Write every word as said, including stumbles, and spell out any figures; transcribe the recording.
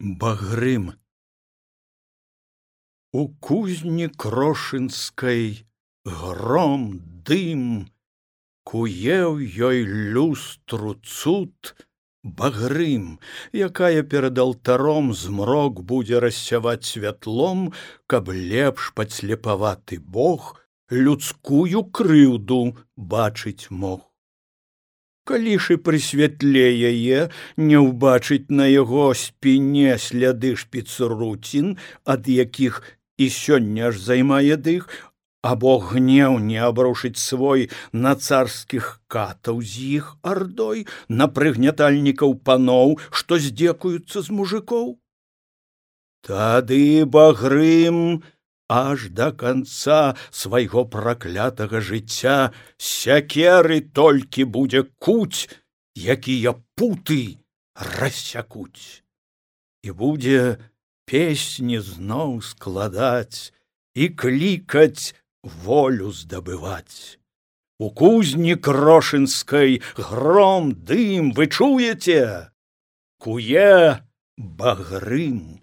Багрым. У кузні крошынскай гром, дым, куе ў ёй люстру цуд багрым, якая перад алтаром змрок будзе рассяваць святлом, каб лепш падслепаваты Бог людскую крыўду бачыць мог. Калі ж і пры святле яе не ўбачыць на яго спіне сляды шпіцруцін, ад якіх і сёння ж займае дых, або гнеў не абрушыць свой на царскіх катаў з іх ардой, на прыгнятальнікаў паноў, што здзекуюцца з мужикоў. Тады багрым аж да канца свайго праклятага жыцця сякеры толькі будзе куць, якія путы рассякуць. І будзе песні зноў складаць і клікаць волю здабываць. У кузні крошынскай гром, дым, вы чуеце? Куе багрым.